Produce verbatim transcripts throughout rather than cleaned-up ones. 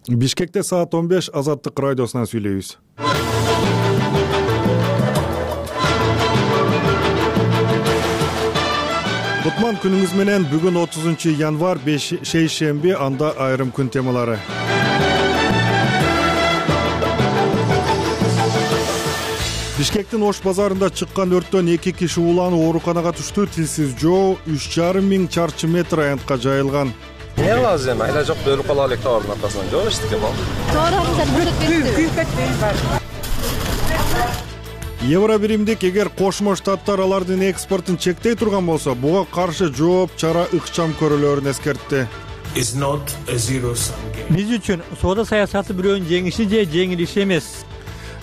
Бишкекте саат он беш Азаттык радиосунан сүйлөйбүз. Кутман күнүңүз менен. Бүгүн отузунчу январь шейшемби, анда айрым күн темалары. Бишкектин Ош базарында чыккан өрттөн эки киши ууланып ооруканага түштү. Тилсиз жоо үч жарым миң чарчы метр аянтка жайылган. Не кылабыз эми? Айла жок, өлүп кала элек товардын аркасынан. Жок эчтик эми ал. Товарыңыздар күйүп кетти. Евро биримдик эгер Кошмо Штаттар алардын экспортун чектей турган болсо, буга каршы жооп чара ыкчам көрүлөрүн эскертти. Биз үчүн соода саясаты бирөөнүн жеңиши же жеңилиши эмес.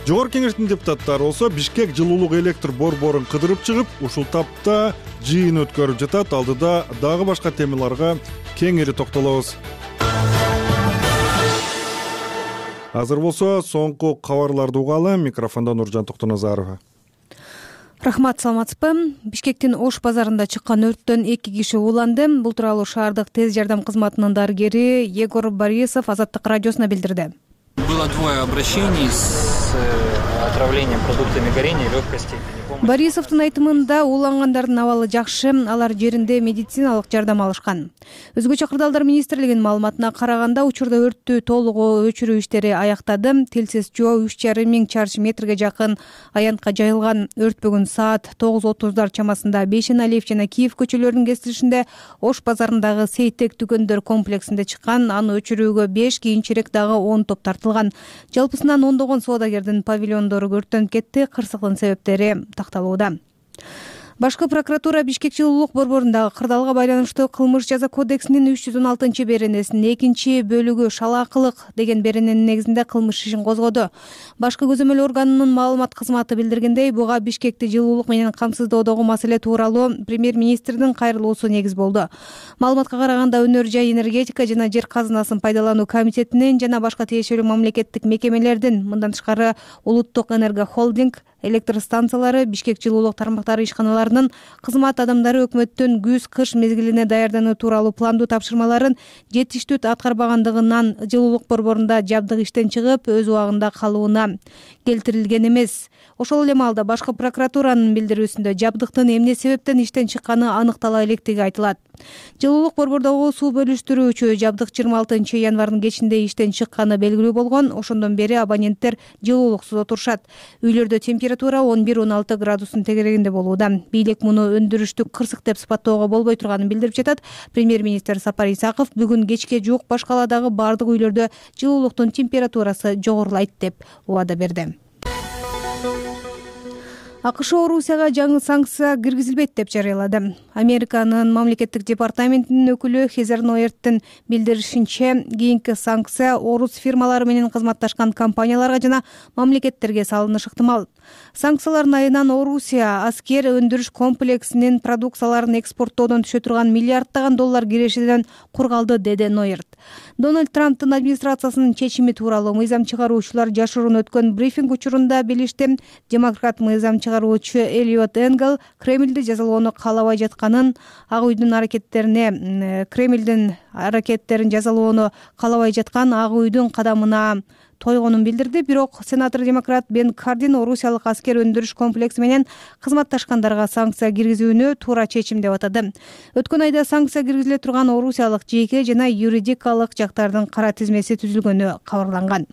Жогорку кеңештин депутаттары болсо Бишкек жылуулук электр борборун кыдырып чыгып, ушул тапта жыйын өткөрүп жатат. Алдыда дагы башка темаларга кеңири токтолобуз. Азыр болсо соңку кабарларды угалы. Микрофондо Нуржан Токтоназарова. Рахмат, саламатсызбы? Бишкектин Ош базарында чыккан өрттөн эки киши ууланды. Бул тууралуу шаардык тез жардам кызматынын дарыгери Егор Борисов Азаттык радиосуна билдирди. Было двое обращений с отравлением продуктами горения легкой степени. Борисовдун айтымында уулангандардын абалы жакшы, алар жеринде медициналык жардам алышкан. Өзгөчө Кырдаалдар министрлигинин маалыматына караганда, учурда өрттү толугу өчүрүү иштери аяктады. Тилсиз жоо үч жарым миң чарчы метрге жакын аянтка жайылган. Өрт бүгүн саат тогуз отуздар чамасында Бейшеналиев жана Киев көчөлөрүнүн кесилишинде Ош базарындагы Сейтек дүкөндөр комплексинде чыккан. Аны өчүрүүгө беш, кийинчерээк дагы он топ тартылган. Жалпысынан ондогон соодагердин павильондору өрттөнүп кетти. Кырсыктын себептери такталууда. Башкы прокуратура Бишкек жылуулук борборундагы кырдаалга байланыштуу кылмыш жаза кодексинин үч жүз он алтынчы беренесинин экинчи бөлүгү шалаакылык деген берененин негизинде кылмыш ишин козгоду. Башкы көзөмөл органынын маалымат кызматы билдиргендей, буга Бишкекти жылуулук менен камсыздоодогу маселе тууралуу премьер-министрдин кайрылуусу негиз болду. Маалыматка караганда, өнөр жай энергетика жана жер казынасын пайдалануу комитетинин жана башка тиешелүү мамлекеттик мекемелердин, мындан тышкары Улуттук энерго холдинг, электр станциялары, Бишкек жылуулук тармактары ишканаларынын кызмат адамдары өкмөттүн күз-кыш мезгилине даярдануу тууралуу пландуу тапшырмаларын жетиштүү аткарбагандыгынан жылуулук борборунда жабдык иштен чыгып, өз убагында калууна келтирилген эмес. Ошол эле маалда башкы прокуратуранын билдирүүсүндө жабдыктын эмне себептен иштен чыкканы аныктала электиги айтылат. Жылуулук борбордогу суу бөлүштүрүүчү жабдык жыйырма алтынчы январдын кечинде иштен чыкканы белгилүү болгон. Ошондон бери абоненттер жылуулуксуз отурушат. Үйлөрдө температура он бир он алты градустун тегерегинде болууда. Бийлик муну өндүрүштүк кырсык деп сыпаттоого болбой турганын билдирип жатат. Премьер-министр Сапар Исаков бүгүн кечке жуук баш каладагы бардык үйлөрдө жылуулуктун температурасы жогорулайт деп убада берди. АКШ Орусияга жаңы санкция киргизилбейт деп жарыялады. Американын мамлекеттик департаментинин өкүлү Хезер Ноерттин билдиришинче, кийинки санкция орус фирмалары менен кызматташкан компанияларга жана мамлекеттерге салынышы ыктымал. Санкциялардын айынан Орусия аскер өндүрүш комплексинин продукцияларын экспорттоодон түшө турган миллиарддаган доллар кирешиден кур калды, деди Ноерт. Дональд Трамптын администрациясынын чечими тууралуу мыйзам чыгаруучулар жашыруун өткөн брифинг учурунда билишти. Демократ мыйзам чыгаруучу Элиот Энгел Кремлди жазалоону каалабай жатканын, Ак үйдүн аракеттерине Кремлдин аракеттерин жазалоону каалабай жаткан Ак үйдүн кадамына тойгонун билдирди. Бирок сенатор демократ Бен Кардин орусиялык аскер өндүрүш комплекси менен кызматташкандарга санкция киргизүүнү туура чечим деп атады. Өткөн айда санкция киргизиле турган орусиялык жеке жана юридикалык жактардын кара тизмеси түзүлгөнү кабарланган.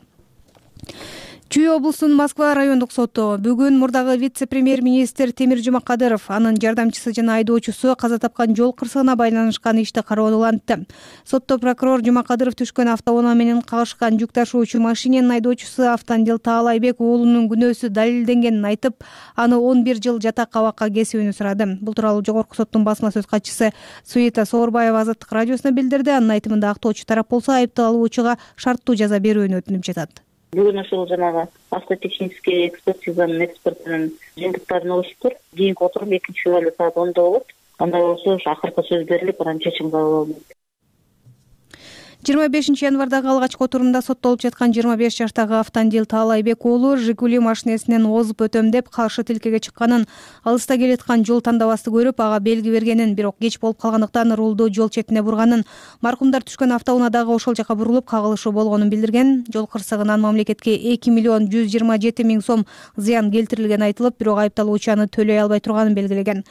Чүй облусунун Москва райондук соту бүгүн мурдагы вице-премьер-министр Темир Жумакадыров, анын жардамчысы жана айдоочусу каза тапкан жол кырсыгына байланышкан ишти кароодо улантты. Сотто прокурор Жумакадыров түшкөн автоунаа менен кагышкан жүк ташуучу машиненин айдоочусу Автандил Таалайбек уулунун күнөөсү далилденгенин айтып, аны он бир жыл жатак абакка кесүүнү сурады. Бул тууралуу жогорку соттун басма сөз катчысы Суита Соорбаева Азаттык радиосуна билдирди. Анын айтымында актоочу тарап болсо айыпталуучуга шарттуу жаза берүүнү өтүнүп жатат. Бүгүн ошол жанагы автотехнический экспертизанын экспертинин жыйынтыктарын алышыптыр. Кийинки отурум экинчи февралда саат ондо болот. Анда болсо акыркы сөз берилип, анан чечим кабыл алынат. жыйырма бешинчи январдагы алгачкы отурумда соттолуп жаткан жыйырма беш жаштагы Автандил Таалайбек уулу Жигули машинесинен озуп өтөм деп каршы тилкеге чыкканын, алыста келаткан жол тандабасты көрүп ага белги бергенин, бирок кеч болуп калгандыктан рулду жол четине бурганын, маркумдар түшкөн автоунаа дагы ошол жака бурулуп кагылышы болгонун билдирген. Жол кырсыгынан мамлекетке эки миллион жүз жыйырма жети миң сом зыян келтирилгени айтылып, бирок айыпталуучу аны төлөй албай турганын белгилеген.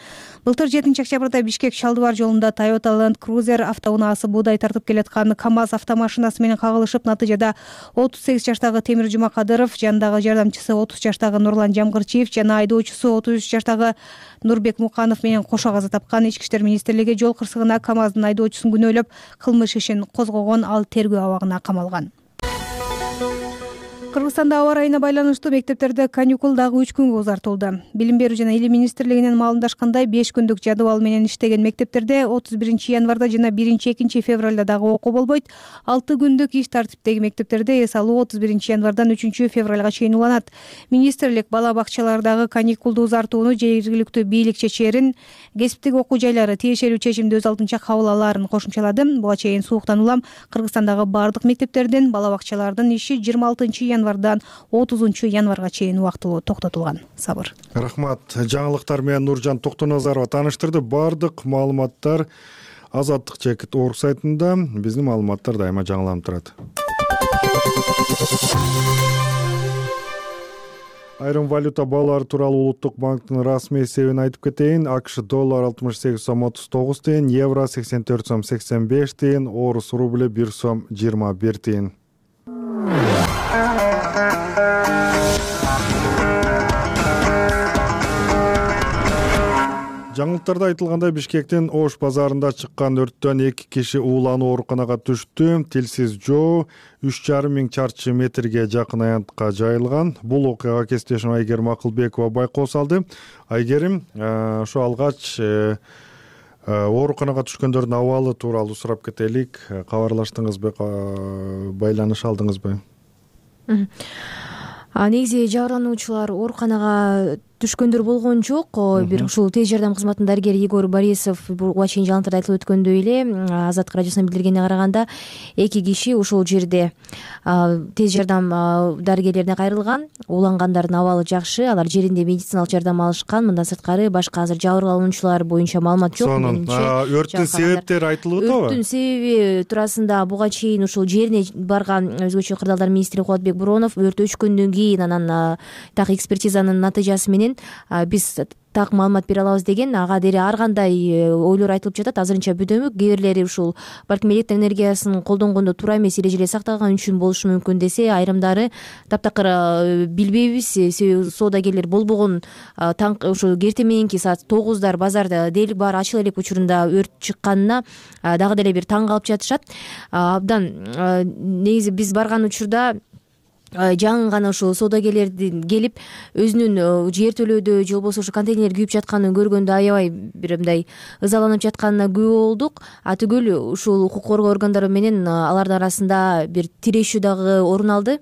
Былтыр жетинчи октябрда Бишкек Шалдыбар жолунда Toyota Land Cruiser автоунаасы буудай тартып келаткан КамАЗ автомашинасы менен кагылышып, натыйжада отуз сегиз жаштагы Темир Жумакадыров, жанындагы жардамчысы отуз жаштагы Нурлан Жамгырчиев жана айдоочусу отуз үч жаштагы Нурбек Муканов менен кошо каза тапкан. Ички иштер министрлиги жол кырсыгына КамАЗдын айдоочусун күнөөлөп кылмыш ишин козгогон, ал тергөө абагына камалган. Кыргызстанда аба ырайына байланыштуу мектептерде каникул дагы үч күнгө узартылды. Билим берүү жана илим министрлигинин маалымдашкандай, беш күндүк жадыбал менен иштеген мектептерде отуз биринчи январда жана биринчи экинчи февралда дагы окуу болбойт. алты күндүк иш тартиптеги мектептерде эс алуу отуз биринчи январдан үчүнчү февралга чейин уланат. Министрлик бала бакчалардагы каникулду узартууну жергиликтүү бийлик чечээрин, кесиптик окуу жайлары тиешелүү чечимди өз алдынча кабыл алаарын кошумчалады. Буга чейин сууктан улам Кыргызстандагы бардык мектептердин, бала бакчалардын иши жыйырма алтынчы январдан отузунчу январга чейин убактылуу токтотулган. Сабыр. Рахмат. Жаңылыктар менен Нуржан Токтоназарова тааныштырды. Бардык маалыматтар Азаттык Чекит орг сайтында. Биздин маалыматтар дайыма жаңыланып турат. Айрым валюта баалары тууралуу Улуттук банктын расмий эсебин айтып кетейин. АКШ доллар алтымыш сегиз сом отуз тогуз тыйын, евро сексен төрт сом сексен беш тыйын, орус рубль бир сом жыйырма бир тыйын. Жаңылыктарда айтылгандай, Бишкектин Ош базарында чыккан өрттөн эки киши уулануу ооруканага түштү. Тилсиз жоо үч жарым миң чарчы метрге жакын аянтка жайылган. Бул окуяга кесиптешим Айгерим Акылбекова байкоо салды. Айгерим, ошо алгач ооруканага түшкөндөрдүн абалы тууралуу сурап кетелик. Кабарлаштыңызбы, байланыш алдыңызбы? Негизи жабырлануучулар ооруканага түшкөндөр болгон жок. Бир ушул тез жардам кызматынын дарыгери Егор Борисов буга чейин жаңылыктарда айтылып өткөндөй эле, Азаттык радиосуна билдиргенине караганда, эки киши ушул жерде тез жардам дарыгерлерине кайрылган. Уулангандардын абалы жакшы, алар жеринде медициналык жардам алышкан. Мындан сырткары башка азыр жабырлануучулар боюнча маалымат жок. Өрттүн себептери айтылып атабы? Өрттүн себеби туурасында буга чейин ушул жерине барган өзгөчө кырдаалдар министри Кубатбек Буронов өрт өчкөндөн кийин анан так экспертизанын натыйжасы менен биз так маалымат бере алабыз деген, ага дере ар кандай ойлор айтылып жатат. Азырынча бүдөмүк, кээ бирлери ушул балким электр энергиясын колдонгондо туура эмес эрежелер сакталган үчүн болушу мүмкүн десе, айрымдары таптакыр билбейбиз. Себеби соодагерлер болбогон таң ушул керте мененки саат тогуздар базарда дээрлик баары ачыла элек учурунда өрт чыкканына дагы деле бир таң калып жатышат. Абдан негизи биз барган учурда жаңы гана ушул соодагерлердин келип өзүнүн жертөлөөдө же болбосо ушу контейнер күйүп жатканын көргөндө аябай бир мындай ызаланып жатканына күбө болдук. А түгүл ушул укук коргоо органдары менен алардын арасында бир тирешүү дагы орун алды.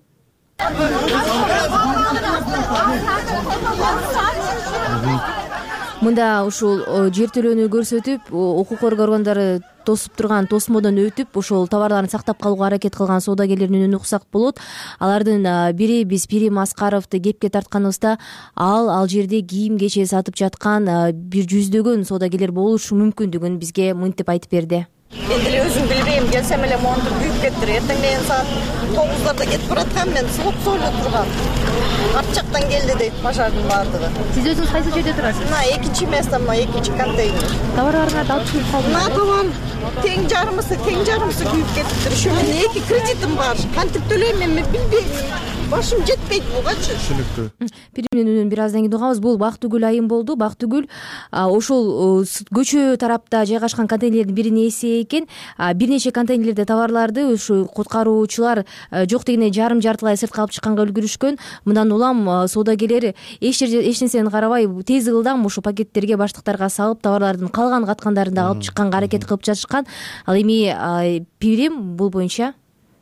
Мында ушул жертөлөөнү көрсөтүп, укук коргоо органдары тосуп турган тосмодон өтүп, ошол товарларын сактап калууга аракет кылган соодагерлердин үнүн уксак болот. Алардын бири биз Пирим Аскаровду кепке тартканыбызда, ал ал жерде кийим кече сатып жаткан бир жүздөгөн соодагерлер болушу мүмкүндүгүн бизге мынтип айтып берди. Мен деле өзүм билбейм, келсем эле монтур күйүп кетти. Эртең менен саат тогуздарда кетип бараткам, мен сулуп эле тургам. Арт жактан келди дейт пожардын баардыгы. Сиз өзүңүз кайсы жерде турасыз? Мына экинчи место, мына экинчи контейнер. Товарларыңарды алып күйүп калды. Мына товар тең жарымысы, тең жарымысы күйүп кетиптир. Ошо менен эки кредитим бар. Кантип төлөйм мен билбейм. Башым жетпейт бугачы. Түшүнүктүү. Биримдин үнүн бир аздан кийин угабыз. Бул Бактыгүл айым болду. Бактыгүл ошол көчө тарапта жайгашкан контейнерлердин биринин ээси экен. Бир нече контейнерлерде товарларды ушу куткаруучулар жок дегенде жарым жартылай сыртка алып чыкканга үлгүрүшкөн. Мындан улам соодагерлер эч эч нерсени карабай тез ылдам ушу пакеттерге, баштыктарга салып, товарлардын калган каткандарын да алып чыкканга аракет кылып жатышкан. Ал эми Пирим бул боюнча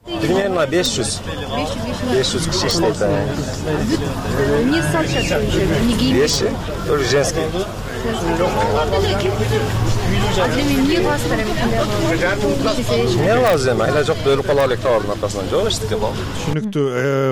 примерно беш жүз беш жүз киши иштейт. эмне салышат? Вещи, тоже женские. эмне кыласыздар эми? эмне кылабыз эми, айла жок өлүп кала элек товардын аркасынан. Жок, эчтеке болду. Түшүнүктүү.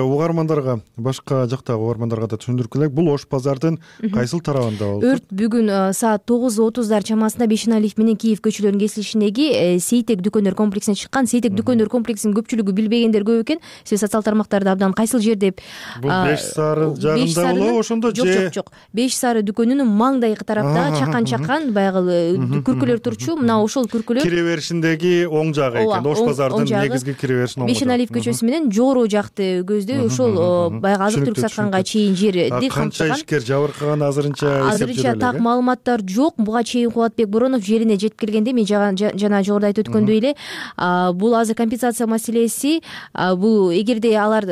Угармандарга, башка жактагы угармандарга да түшүндүрүп келек. Бул Ош базардын кайсыл тарабында болду? Өрт бүгүн саат тогуз отуздар чамасында Бешеналиев менен Киев көчөлөрүнүн кесилишиндеги Сейтек дүкөндөр комплексине чыккан. Сейтек дүкөндөр комплексинин көпчүлүгү билбегендер көп экен. Сиз социалдык тармактарда абдан кайсыл жер деп. Бул Беш Сары жагында болобу, ошондо же? Жок, жок, жок. Беш Сары дүкөнүнүн маңдайкы тараптагы чакан-чакан баягы күркөлөр турчу. Мына ошол күркөлөр кире беришиндеги оң жагы экен. Ош базардын негизги кире беришинин оң жагы. Бешеналиев көчөсү менен жогору жакты көздөй ошол баягы азык-түлүк сатканга чейин жерди камтыган. Канча ишкер жабыркаган азырынча эсептелген? Азырынча так маалыматтар жок. Буга чейин Кубатбек Боронов жерине жетип келгенде мен жана жогоруда айтып өткөндөй эле бул азыр компенсация маселеси, бул эгерде алар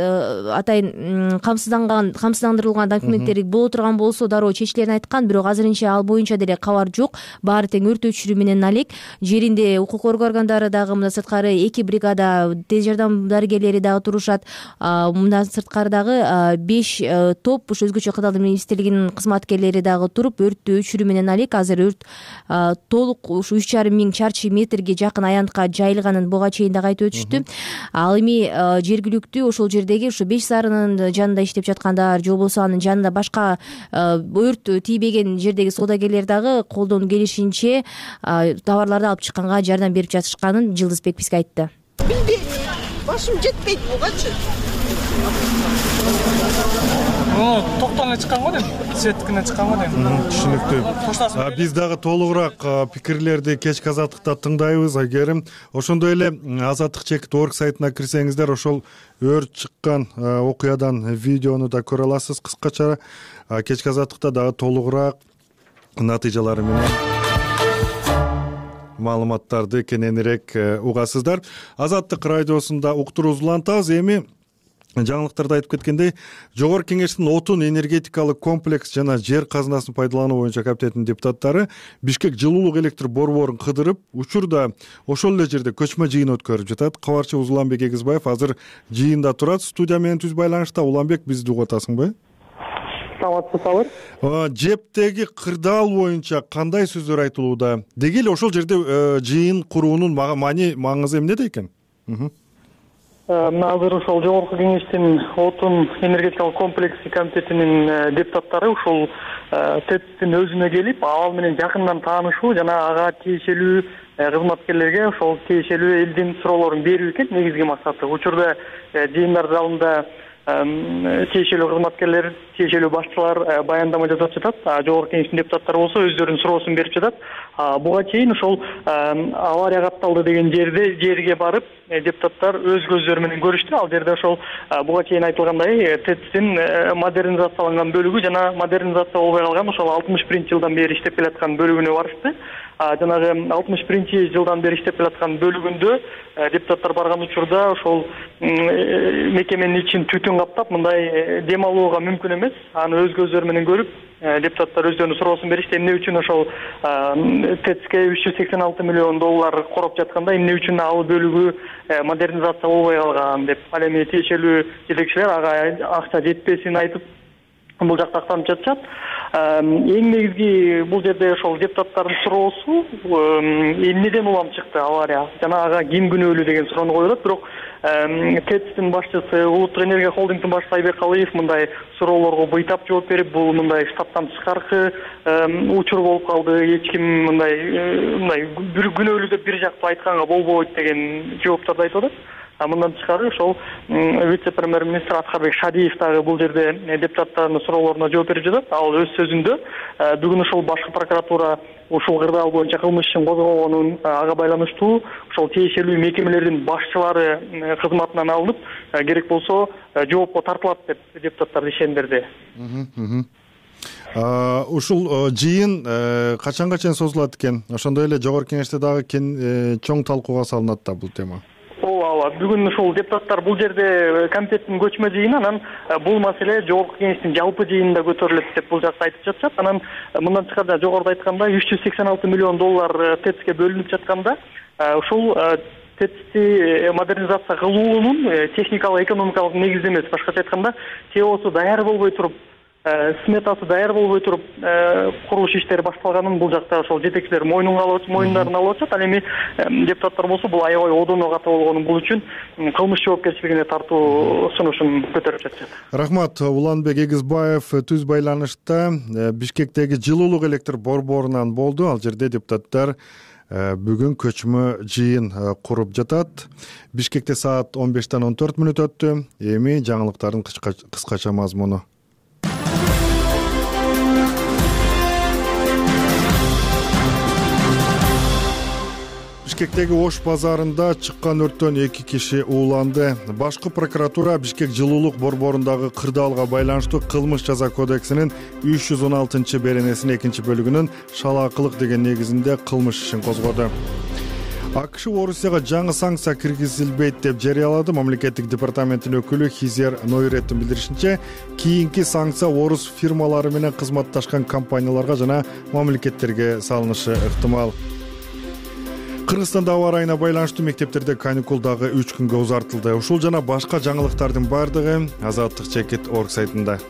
атайын камсызданган камсыздандырылган документтери боло турган болсо дароо чечилерин айткан, бирок азырынча ал боюнча деле кабар жок. Баары тең өрт өчүрүү менен алек. Жеринде укук органдары дагы мындан сырткары эки бригада тез жардам дарыгерлери дагы турушат. Мындан сырткары дагы беш топ ушу өзгөчө кырдаалдар министрлигинин кызматкерлери дагы туруп өрттү өчүрүү менен алек. Азыр өрт толук ушу үч жарым миң чарчы метрге жакын аянтка жайылганын буга чейин дагы айтып өтүштү. Ал эми жергиликтүү ошол жердеги ушу Беш Сарынын жанында иштеп жаткандар же болбосо анын жанында башка өрт тийбеген жердеги соодагерлер дагы колдон келишинче товарларды алып чыкканга жардам берип жатышканын Жылдызбек бизге айтты. Билбейм, башым жетпейт бугачы. Токтоңо чыккан го дейм, светтикине чыккан го дейм. Түшүнүктүү. Биз дагы толугураак пикирлерди кечки азаттыкта тыңдайбыз. Айгерим, ошондой эле азаттык чекит орг сайтына кирсеңиздер, ошол өрт чыккан окуядан видеону да көрө аласыз. Кыскача кечки азаттыкта дагы толугураак натыйжалары менен маалыматтарды кененирээк угасыздар. Азаттык радиосунда уктуруубузду улантабыз. Эми жаңылыктарда айтып кеткендей, Жогорку Кеңештин отун энергетикалык комплекс жана жер казынасын пайдалануу боюнча комитетинин депутаттары Бишкек жылуулук электр борборун кыдырып, учурда ошол эле жерде көчмө жыйын өткөрүп жатат. Кабарчыбыз Уланбек Эгизбаев азыр жыйында турат. Студия менен түз байланышта. Уланбек, бизди угуп атасыңбы? Саламатсызбы? Жептеги кырдаал боюнча кандай сөздөр айтылууда? Деги эле ошол жерде жыйын куруунун маани маңызы эмнеде экен? Азыр ошол Жогорку Кеңештин отун энергетикалык комплекси комитетинин депутаттары ушул ТЭЦтин өзүнө келип, ал менен жакындан таанышуу жана ага тиешелүү кызматкерлерге ошол тиешелүү элдин суроолорун берүү экен негизги максаты. Учурда жыйындар залында тиешелүү кызматкерлер, тиешелүү башчылар баяндама жасап жатат. Жогорку Кеңештин депутаттары болсо өздөрүнүн суроосун берип жатат. Буга чейин ошол авария катталды деген жерде жерге барып депутаттар өз көздөрү менен көрүштү. Ал жерде ошол буга чейин айтылгандай ТЭЦтин модернизацияланган бөлүгү жана модернизация болбой калган ошол алтымыш биринчи жылдан бери иштеп келаткан бөлүгүнө барышты. Жанагы алтымыш биринчи жылдан бери иштеп келаткан бөлүгүндө депутаттар барган учурда ошол мекеменин ичин түтүн каптап, мындай дем алууга мүмкүн эмес. Аны өз көздөрү менен көрүп, депутаттар өздөрүнүн суроосун беришти. Эмне үчүн ошол ТЭЦке үч жүз сексен алты миллион доллар короп жатканда, эмне үчүн ал бөлүгү модернизация болбой калган деп. Ал эми тиешелүү жетекчилер ага акча жетпесин айтып, бул жакта актанып жатышат. Эң негизги бул жерде ошол депутаттардын суроосу эмнеден улам чыкты авария жана ага ким күнөөлүү деген суроону коюлат. Бирок ТЭЦтин башчысы, Улуттук энергия холдингдин башчысы Айбек Калыев мындай суроолорго быйтап жооп берип, бул мындай штаттан тышкаркы учур болуп калды, эч ким мындай мындай бир күнөөлүү деп бир жактуу айтканга болбойт деген жооптарды айтып атат. Мындан тышкары ошол вице-премьер-министр Аткарбек Шадиев дагы бул жерде депутаттардын суроолоруна жооп берип жатат. Ал өз сөзүндө бүгүн ошол башкы прокуратура ушул кырдаал боюнча кылмыш ишин козгогонун, ага байланыштуу ошол тиешелүү мекемелердин башчылары кызматынан алынып, керек болсо жоопко тартылат деп депутаттар ишендирди. Ушул жыйын качанга чейин созулат экен? Ошондой эле Жогорку Кеңеште дагы чоң талкууга салынат да бул тема. Ооба, бүгүн ушул депутаттар бул жерде комитеттин көчмө жыйыны, анан бул маселе Жогорку Кеңештин жалпы жыйынында көтөрүлөт деп бул жакта айтып жатышат. Анан мындан тышкары жогоруда айткандай үч жүз сексен алты миллион доллар ТЭЦке бөлүнүп жатканда, ушул ТЭЦти модернизация кылуунун техникалык экономикалык негизи эмес, башкача айтканда, ТЭОсу даяр болбой туруп сметасы даяр болбой туруп курулуш иштери башталганын бул жакта ошол жетекчилер мойнунга алып мойнундарына алып атышат. Ал эми депутаттар болсо бул аябай одоно ката болгону бул үчүн кылмыш жоопкерчилигине тартуу сунушун көтөрүп жатышат. Рахмат. Уланбек Эгизбаев түз байланышта Бишкектеги жылуулук электр борборунан болду. Ал жерде депутаттар бүгүн көчмө жыйын куруп жатат. Бишкекте саат он бештен он төрт мүнөт өттү. Эми жаңылыктардын кыскача мазмуну. Бишкектеги Ош базарында чыккан өрттөн эки киши ууланды. Башкы прокуратура Бишкек жылуулук борборундагы кырдаалга байланыштуу кылмыш жаза кодексинин үч жүз он алтынчы беренесинин экинчи бөлүгүнүн шалаакылык деген негизинде кылмыш ишин козгоду. АКШ Орусияга жаңы санкция киргизилбейт деп жарыялады. Мамлекеттик департаменттин өкүлү Хизер Нойреттин билдиришинче, кийинки санкция орус фирмалары менен кызматташкан компанияларга жана мамлекеттерге салынышы ыктымал. Кыргызстанда аба ырайына байланыштуу мектептерде каникул дагы үч күнгө узартылды. Ушул жана башка жаңылыктардын бардыгы Азаттык чекит орг сайтында.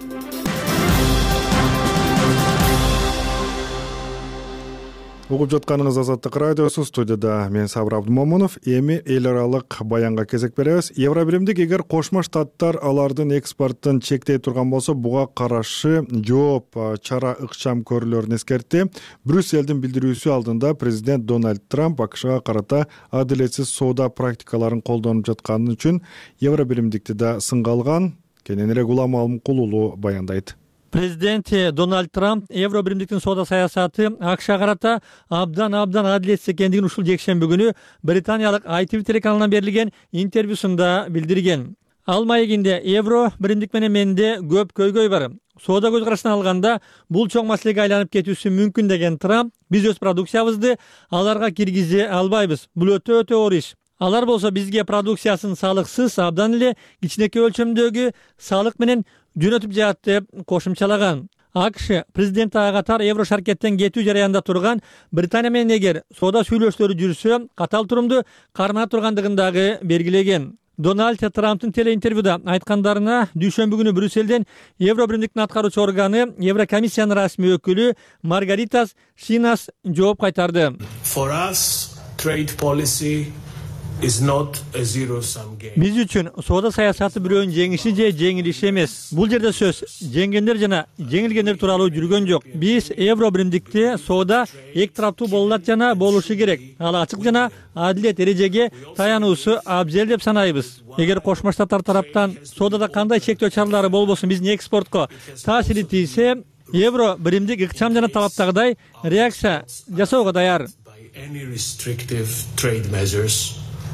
Угуп жатканыңыз Азаттык радиосу, студияда мен Сабыр Абдымомунов. Эми эл аралык баянга кезек беребиз. Евробиримдик эгер Кошмо Штаттар алардын экспортун чектей турган болсо, буга каршы жооп чара ыкчам көрүлөрүн эскертти. Брюссельдин билдирүүсү алдында президент Дональд Трамп АКШга карата адилетсиз соода практикаларын колдонуп жатканы үчүн Евробиримдикти да сынга алган. Кененирээк Улам Алымкулуулу баяндайт. Президент Дональд Трамп Евробиримдиктин соода саясаты АКШга карата абдан абдан адилетсиз экендигин ушул жекшемби күнү британиялык ай ти ви телеканалына берилген интервьюсунда билдирген. Ал маегинде евро биримдик менен менде көп көйгөй бар. Соода көз карашынан алганда бул чоң маселеге айланып кетүүсү мүмкүн деген Трамп, биз өз продукциябызды аларга киргизе албайбыз. Бул өтө өтө оор иш. Алар болсо бизге продукциясын салыксыз, абдан эле кичинекей өлчөмдөгү салык менен жөнөтүп жатат деп кошумчалаган. АКШ президенти ага катар евро шаркеттен кетүү жараянда турган Британия менен эгер соода сүйлөшүүлөрү жүрсө, катал турумду кармана тургандыгын дагы белгилеген. Дональд Трамптын телеинтервьюда айткандарына дүйшөмбү күнү Брюссельден Евробиримдиктин аткаруучу органы Еврокомиссиянын расмий өкүлү Маргаритас Шинас жооп кайтарды. For us, trade policy Биз үчүн соода саясаты бирөөнүн жеңиши же жеңилиши эмес. Бул жерде сөз жеңгендер жана жеңилгендер тууралуу жүргөн жок. Биз Евробиримдикте соода эки тараптуу болот жана болушу керек. Ал ачык жана адилет эрежеге таянуусу абзел деп санайбыз. Эгер Кошмо Штаттар тараптан соодада кандай чектөө чаралары болбосун биздин экспортко таасири тийсе, Евробиримдик ыкчам жана талаптагыдай реакция жасоого даяр.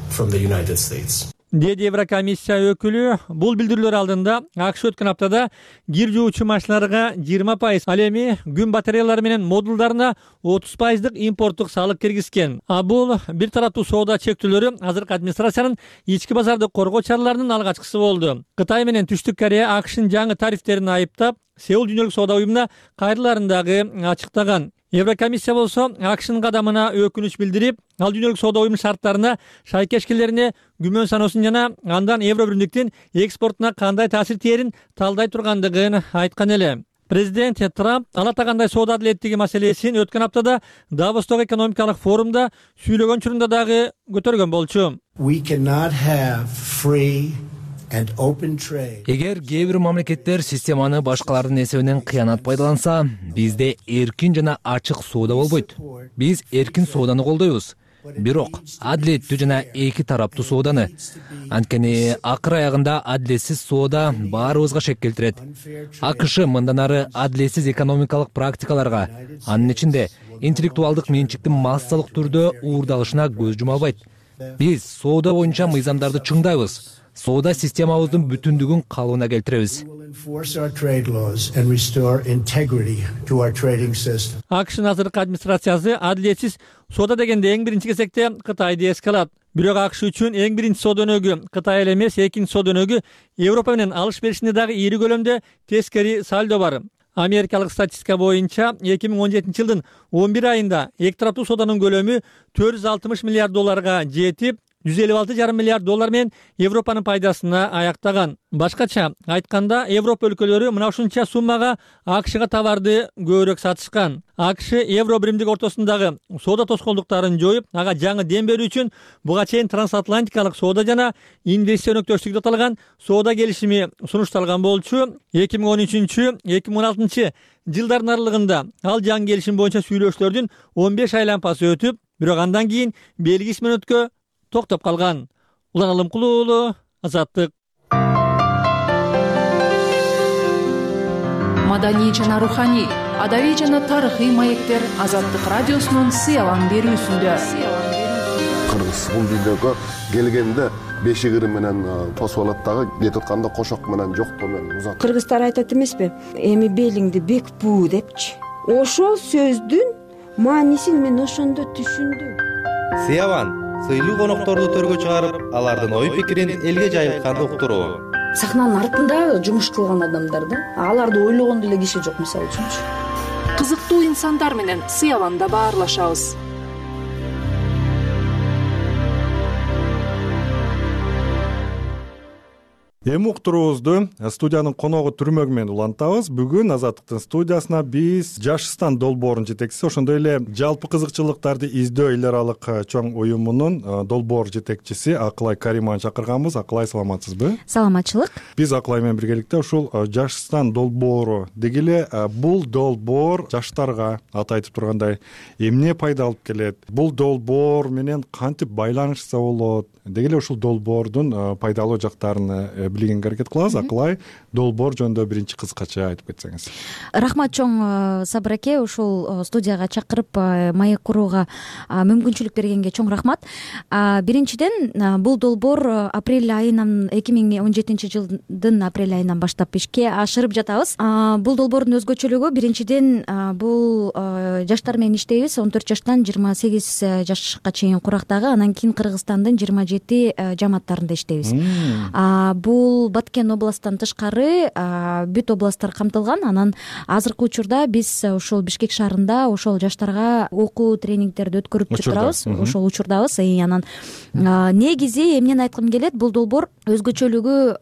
From the United States. Деди Еврокомиссия өкүлү бул билдирүүлөр алдында АКШ өткөн аптада кир жуучу машиналарга жыйырма пайыз, ал эми күн батареялары менен модулдарына отуз пайыздык импорттук салык киргизген. А бул бир тараптуу соода чектөөлөрү азыркы администрациянын ички базарды коргоо чараларынын алгачкысы болду. Кытай менен Түштүк Корея АКШнын жаңы тарифтерин айыптап, Сеул дүйнөлүк соода уюмуна кайрыларын дагы ачыктаган. Еврокомиссия болсо АКШнын кадамына өкүнүч билдирип, ал дүйнөлүк соода уюмунун шарттарына шайкешкелерине күмөн саноосун жана андан Евробиримдиктин экспортуна кандай таасир тээрин талдай тургандыгын айткан эле. Президент Трамп ала тагандай соода адилеттиги маселесин өткөн аптада Давостогу экономикалык форумда сүйлөгөн учурунда дагы көтөргөн болчу. We cannot have free Эгер кээ бир мамлекеттер системаны башкалардын эсебинен кыянат пайдаланса, бизде эркин жана ачык соода болбойт. Биз эркин сооданы колдойбуз. Бирок адилеттүү жана эки тараптуу сооданы. Анткени акыр аягында адилетсиз соода баарыбызга шек келтирет. АКШ мындан ары адилетсиз экономикалык практикаларга, анын ичинде интеллектуалдык менчиктин массалык түрдө уурдалышына көз жума албайт. Биз соода боюнча мыйзамдарды чыңдайбыз. Соода системабыздын бүтүндүгүн калыбына келтиребиз. АКШнын азыркы администрациясы адилетсиз соода дегенде эң биринчи кезекте Кытайды эске алат. Бирок АКШ үчүн эң биринчи соода өнөгү Кытай эле эмес, экинчи соода өнөгү Европа менен алыш беришинде дагы ири көлөмдө тескери сальдо бар. Америкалык статистика боюнча эки миң он жетинчи жылдын он бир айында эки тараптуу сооданын көлөмү төрт жүз алтымыш миллиард долларга жетип, жүз элүү алты жарым миллиард доллар менен Европанын пайдасына аяктаган. Башкача айтканда, Европа өлкөлөрү мына ушунча суммага АКШга товарды көбүрөөк сатышкан. АКШ евро биримдик ортосундагы соода тоскоолдуктарын жоюп, ага жаңы дем берүү үчүн буга чейин трансатлантикалык соода жана инвестиция өнөктөштүгү деп аталган соода келишими сунушталган болчу. эки миң он үчүнчү эки миң он алтынчы жылдардын аралыгында ал жаңы келишим боюнча сүйлөшүүлөрдүн он беш айлампасы өтүп, бирок андан кийин белгисиз мөөнөткө токтоп калган. Улан Алымкулуу уулу, Азаттык. Маданий жана руханий, адабий жана тарыхый маектер Азаттык радиосунун сыялан берүүсүндө. Кыргыз бул дүйнөгө келгенде беши кыры менен тосуп алат дагы, кетип атканда кошок менен жоктоо менен узат. Кыргыздар айтат эмеспи? Эми белиңди бек буу депчи. Ошол сөздүн маанисин мен ошондо түшүндүм. Сыяван сыйлуу конокторду төргө чыгарып, алардын ой пикирин элге жайылтканды уктуруу. Сахнанын артында жумуш кылган адамдар да, аларды ойлогон деле киши жок, мисалы үчүнчү. Кызыктуу инсандар менен Сыяванда баарлашабыз. Эми уктуруубузду студиянын коногу Түрмөк менен улантабыз. Бүгүн Азаттыктын студиясына биз Жашстан долбоорунун жетекчиси, ошондой эле жалпы кызыкчылыктарды издөө эл аралык чоң уюмунун долбоор жетекчиси Акылай Каримованы чакырганбыз. Акылай, саламатсызбы? Саламатчылык. Биз Акылай менен биргеликте ушул Жашстан долбоору деги эле бул долбоор жаштарга аты айтып тургандай эмне пайда алып келет? Бул долбоор менен кантип байланышса болот? Деги эле ушул долбоордун пайдалуу жактарын билгенге аракет кылабыз. Акылай, долбоор жөнүндө биринчи кыскача айтып кетсеңиз. Рахмат чоң Сабыр аке, ушул студияга чакырып маек курууга мүмкүнчүлүк бергенге чоң рахмат. Биринчиден, бул долбоор апрель айынан, эки миң он жетинчи жылдын апрель айынан баштап ишке ашырып жатабыз. Бул долбоордун өзгөчөлүгү биринчиден бул жаштар менен иштейбиз. он төрт жаштан жыйырма сегиз жашка чейин курактагы, анан кийин Кыргызстандын жыйырма жети жамааттарында иштейбиз. Бул Баткен областтан тышкары бүт областтар камтылган. Анан азыркы учурда биз ошол Бишкек шаарында ошол жаштарга окуу тренингтерди өткөрүп турабыз. Ошол учурдабыз. Анан негизи эмнени айткым келет, бул долбоор өзгөчөлүгү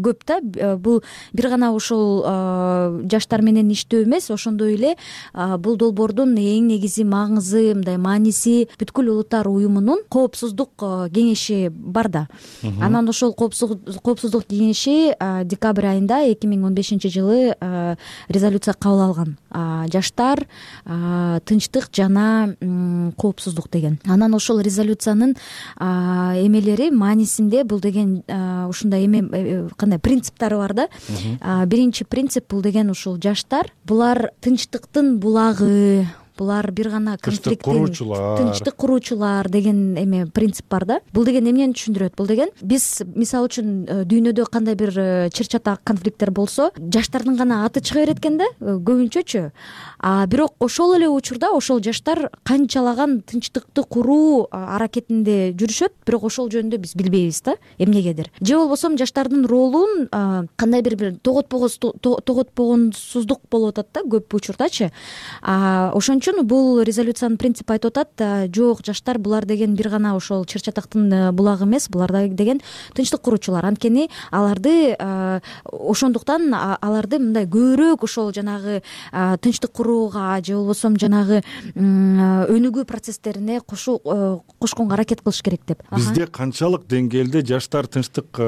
көп да. Бул бир гана ошол жаштар менен иштөө эмес, ошондой эле бул долбоордун эң негизи маңызы, мындай мааниси бүткүл улуттар уюмунун коопсуздук кеңеши бар да. Анан ошол коопсуздук кеңеши декабрь айында эки миң он бешинчи жылы резолюция кабыл алган. Жаштар, тынчтык жана коопсуздук деген. Анан ошол резолюциянын эмелери маанисинде бул деген ушундай эме кандай принциптери бар да. Биринчи принцип бул деген ушул жаштар, булар тынчтыктын булагы, булар бир гана конфликттин тынчтык куруучулар деген эме принцип бар да. Бул деген эмнени түшүндүрөт? Бул деген биз мисалы үчүн дүйнөдө кандай бир чыр-чатак конфликттер болсо, жаштардын гана аты чыга берет экен да, көбүнчөчү. А бирок ошол эле учурда ошол жаштар канчалаган тынчтыкты куруу аракетинде жүрүшөт, бирок ошол жөнүндө биз билбейбиз да, эмнегедир. Же болбосо жаштардын ролун кандай бир бир тоготпогонсуздук болуп атат да көп учурдачы. Ошон үчүн бул резолюциянын принципи айтып атат, жок, жаштар булар деген бир гана ошол чыр-чатактын булагы эмес, булар деген тынчтык куруучулар. Анткени аларды ошондуктан аларды мындай көбүрөөк ошол жанагы тынчтык курууга же болбосо жанагы өнүгүү процесстерине кошконго аракет кылыш керек деп. Бизде канчалык деңгээлде жаштар тынчтык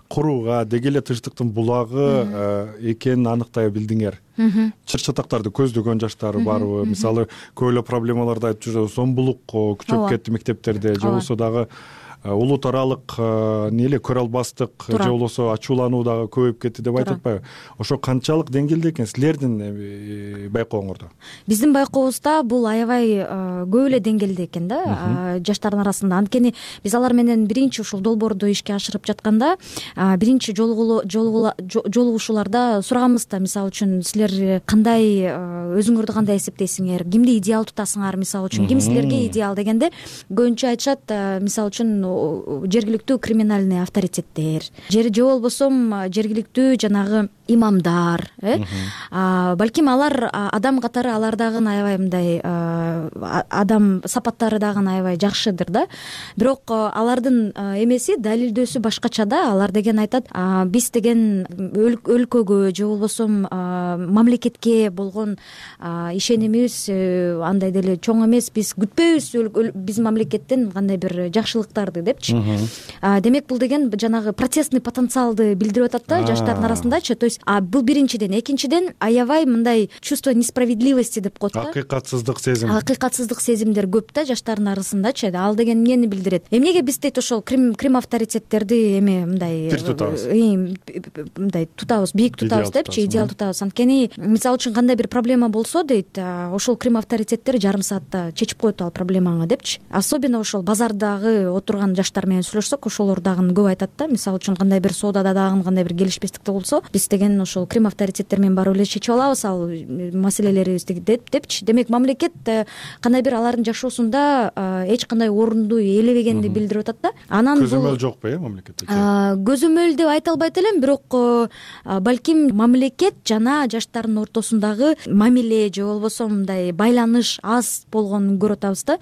курууга, деги эле тынчтыктын булагы экенин аныктай билдиңер? Чыр-чатактарды көздөгөн жаштар барбы? Мисалы, көп эле проблемаларды айтып жүрөбүз. Сомбулук күчөп кетти мектептерде, же болбосо дагы улут аралык эмне эле көрө албастык, же болбосо ачуулануу дагы көбөйүп кетти деп айтып атпайбы? Ошо канчалык деңгээлде экен силердин байкооңордо? Биздин байкообузда бул аябай көп эле деңгээлде экен да, жаштардын арасында. Анткени биз алар менен биринчи ушул долбоорду ишке ашырып жатканда биринчи жолугушууларда сураганбыз да, мисалы үчүн силер кандай, өзүңөрдү кандай эсептейсиңер, кимди идеал тутасыңар, мисалы үчүн ким силерге идеал дегенде көбүнчө айтышат, мисалы үчүн жергиликтүү криминальный авторитеттер же болбосо жергиликтүү жанагы имамдар, э балким алар адам катары алар дагы аябай мындай адам сапаттары дагы аябай жакшыдыр да. Бирок алардын эмеси далилдөөсү башкача да. Алар деген айтат, биз деген өлкөгө же болбосо мамлекетке болгон ишенимибиз андай деле чоң эмес, биз күтпөйбүз биз мамлекеттен кандай бир жакшылыктарды депчи. Демек бул деген жанагы протестный потенциалды билдирип атат да жаштардын арасындачы. То есть бул биринчиден, экинчиден аябай мындай чувство несправедливости деп коет да. Акыйкатсыздык сезим. Акыйкатсыздык сезимдер көп да жаштардын арасындачы. Ал деген эмнени билдирет? Эмнеге биз дейт ошол крим крим авторитеттерди эме мындай бир тутабыз, мындай тутабыз, бийик тутабыз депчи, идеал тутабыз. Анткени мисалы үчүн кандай бир проблема болсо дейт, ошол крим авторитеттер жарым саатта чечип коет ал проблемаңы депчи. Особенно ошол базардагы отурган жаштар менен сүйлөшсөк, ошолор дагы көп айтат да. Мисалы үчүн кандай бир соодада дагы кандай бир келишпестик болсо, биз деген ошол крим авторитеттер менен барып эле чечип алабыз ал маселелерибизди деп депчи. Демек мамлекет кандай бир алардын жашоосунда эч кандай орунду ээлебегенди билдирип атат да. Анан көзөмөл жокпу э мамлекетте? Көзөмөл деп айта албайт элем, бирок балким мамлекет жана жаштардын ортосундагы мамиле же болбосо мындай байланыш аз болгонун көрүп атабыз да.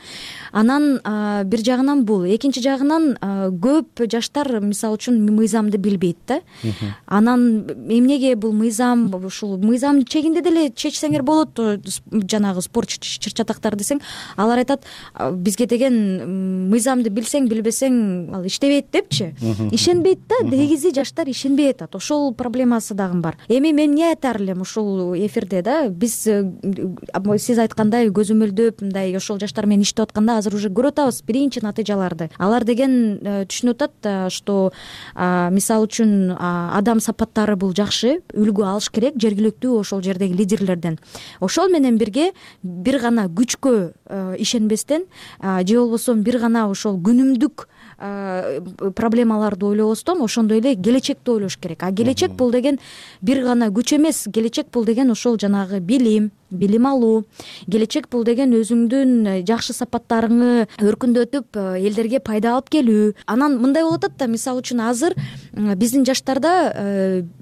Анан бир жагынан бул, экинчи жагынан көп жаштар мисалы үчүн мыйзамды билбейт да. Анан эмнеге бул мыйзам, ушул мыйзам чегинде деле чечсеңер болот жанагы спорт чыр-чатактар десең, алар айтат бизге деген мыйзамды билсең билбесең ал иштебейт депчи. Ишенбейт да, негизи жаштар ишенбей атат. Ошол проблемасы дагы бар. Эми мен эмне айтар элем ушул эфирде да, биз сиз айткандай көзөмөлдөп мындай ошол жаштар менен иштеп атканда азыр уже көрүп атабыз биринчи натыйжаларды. Алар деген түшүнүп атат, что мисалы үчүн адам сапаттары бул жакшы, үлгү алыш керек жергиликтүү ошол жердеги лидерлерден. Ошол менен бирге бир гана күчкө ишенбестен же болбосо бир гана ошол күнүмдүк проблемаларды ойлобостон ошондой эле келечекти ойлош керек. А келечек бул деген бир гана күч эмес, келечек бул деген ошол жанагы билим, билим алуу, келечек бул деген өзүңдүн жакшы сапаттарыңы өркүндөтүп элдерге пайда алып келүү. Анан мындай болуп атат да, мисалы үчүн азыр биздин жаштарда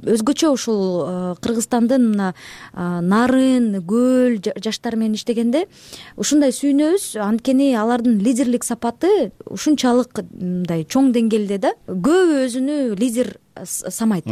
өзгөчө ушул Кыргызстандын мына нарын, көл жаштар менен иштегенде ушундай сүйүнөбүз, анткени алардын лидерлик сапаты ушунчалык мындай чоң деңгээлде да. Көбү өзүнү лидер самайт.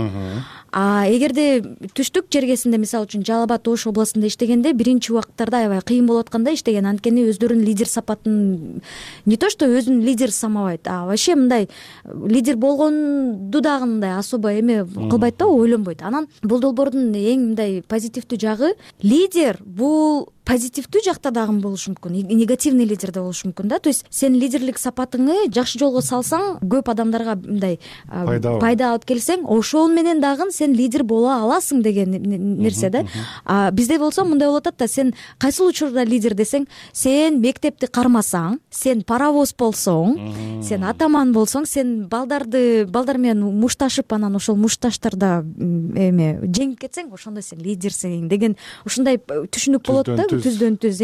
А эгерде түштүк жергесинде мисалы үчүн Жалал Абад Ош областында иштегенде биринчи убакыттарда аябай кыйын болуп атканда иштеген, анткени өздөрүнүн лидер сапатын не то что өзүн лидер самабайт, а вообще мындай лидер болгонду дагы мындай особо эме кылбайт да, ойлонбойт. Анан бул долбоордун эң мындай позитивдүү жагы, лидер бул позитивдүү жакта дагы болушу мүмкүн, негативный лидер да болушу мүмкүн да. То есть сен лидерлик сапатыңы жакшы жолго салсаң, көп адамдарга мындай пайда алып келсең, ошол менен дагы сен лидер боло аласың деген нерсе да. А бизде болсо мындай болуп атат да, сен кайсыл учурда лидер десең, сен мектепти кармасаң, сен паровоз болсоң, сен атаман болсоң, сен балдарды балдар менен мушташып, анан ошол мушташтарда эме жеңип кетсең, ошондо сен лидерсиң деген ушундай түшүнүк болот да. Түздөн түз.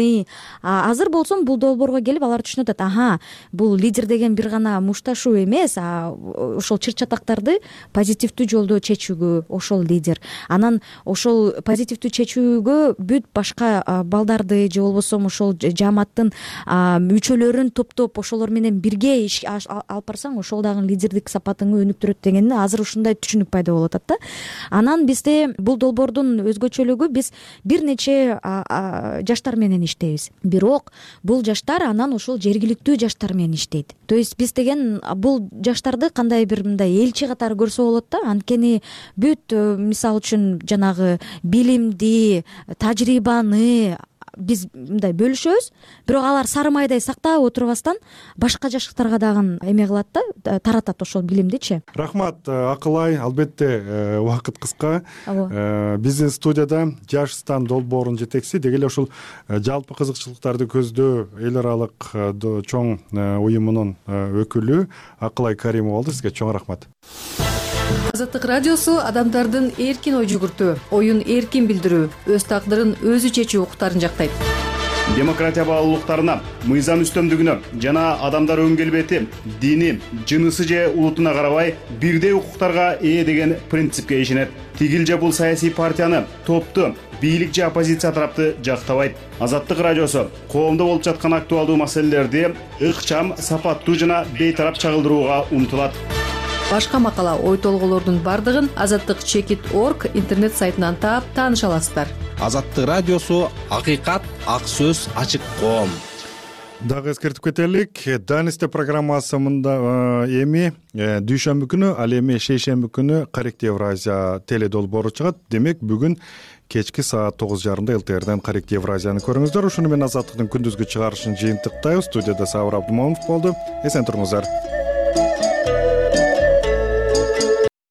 Азыр болсом бул долбоорго келип алар түшүнүп атат. Аха, бул лидер деген бир гана мушташуу эмес, а ошол чыр-чатактарды позитивдүү жолдо чечүүгө ошол лидер. Анан ошол позитивдүү чечүүгө бүт башка балдарды же болбосо ошол жааматтын мүчөлөрүн топтоп ошолор менен бирге иш алып барсаң, ошол дагы лидердик сапатыңы өнүктүрөт дегенди азыр ушундай түшүнүк пайда болуп атат да. Анан бизде бул долбоордун өзгөчөлүгү, биз бир нече жаштар менен иштейбиз. Бирок бул жаштар анан ошол жергиликтүү жаштар менен иштейт. То есть биз деген бул жаштарды кандай бир мындай элчи катары көрсө болот да. Анткени бүт мисалы үчүн жанагы билимди, тажрыйбаны биз мындай бөлүшөбүз, бирок алар сары майдай сактап отурбастан башка жаштарга дагы эме кылат да, таратат ошол билимдичи. Рахмат Акылай, албетте убакыт кыска. Биздин студияда Жаш стан долбоорунун жетекчиси, деги эле ушул жалпы кызыкчылыктарды көздөө эл аралык чоң уюмунун өкүлү Акылай Каримова болду. Сизге чоң рахмат. Азаттык радиосу адамдардын эркин ой жүгүртүү, оюн эркин билдирүү, өз тагдырын өзү чечүү укуктарын жактайт. демократия баалуулуктарына, мыйзам үстөмдүгүнө жана адамдар өн келбети, дини, жынысы же улутуна карабай бирдей укуктарга ээ деген принципке ишенет. Тигил же бул саясий партияны, топту, бийлик же оппозиция тарапты жактабайт. Азаттык радиосу коомдо болуп жаткан актуалдуу маселелерди ыкчам, сапаттуу жана бейтарап чагылдырууга умтулат. Башка макала, ой толгоолордун бардыгын азаттык чекит точка орг интернет сайтынан таап тааныша аласыздар. Азаттык радиосу акыйкат, ак сөз, ачык коом. Дагы эскертип кетелик, Данисте программасы мында эми дүйшөмбү күнү, ал эми шейшемби күнү Коррект Евразия теле долбоору чыгат. Демек бүгүн кечки саат тогуз жарымда эл тэ эрден Коррект Евразияны көрүңүздөр. Ушуну менен Азаттыктын күндүзгү чыгарышын жыйынтыктайбыз. Студияда Сабыр Абдымомунов болду. Эсен туруңуздар.